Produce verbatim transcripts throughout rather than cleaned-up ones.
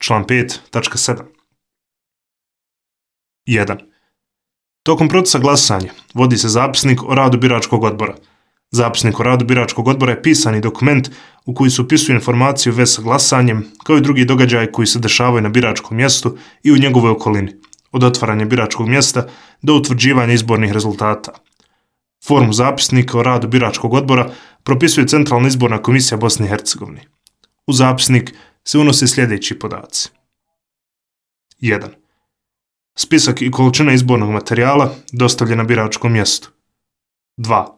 Član pet tačka sedam. jedan. Tokom procesa glasanja vodi se zapisnik o radu biračkog odbora. Zapisnik o radu biračkog odbora je pisani dokument u koji se upisuju informacije u vezi sa glasanjem, kao i drugi događaji koji se dešavaju na biračkom mjestu i u njegovoj okolini, od otvaranja biračkog mjesta do utvrđivanja izbornih rezultata. Formu zapisnika o radu biračkog odbora propisuje Centralna izborna komisija Bosne i Hercegovine. U zapisnik se unose sljedeći podaci. jedan. Spisak i količina izbornog materijala dostavljen na biračkom mjestu. dva.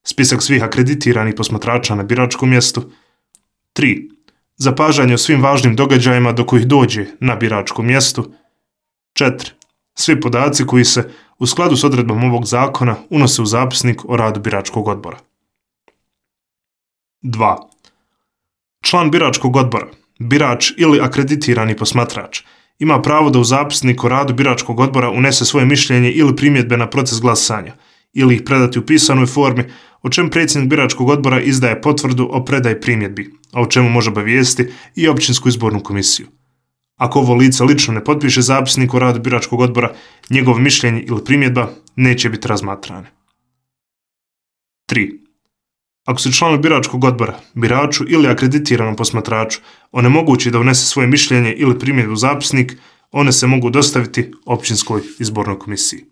Spisak svih akreditiranih posmatrača na biračkom mjestu. tri. Zapažanje o svim važnim događajima do kojih dođe na biračkom mjestu. četiri. Svi podaci koji se u skladu s odredbom ovog zakona unose u zapisnik o radu biračkog odbora. dva. Član biračkog odbora, birač ili akreditirani posmatrač, ima pravo da u zapisnik o radu biračkog odbora unese svoje mišljenje ili primjedbe na proces glasanja ili ih predati u pisanoj formi, o čemu predsjednik biračkog odbora izdaje potvrdu o predaji primjedbi, a o čemu može obavijestiti i općinsku izbornu komisiju. Ako ovo lice lično ne potpiše zapisnik o radu biračkog odbora, njegovo mišljenje ili primjedba neće biti razmatrane. tri. Ako se članu biračkog odbora, biraču ili akreditiranom posmatraču onemogući da unese svoje mišljenje ili primjedbu u zapisnik, one se mogu dostaviti općinskoj izbornoj komisiji.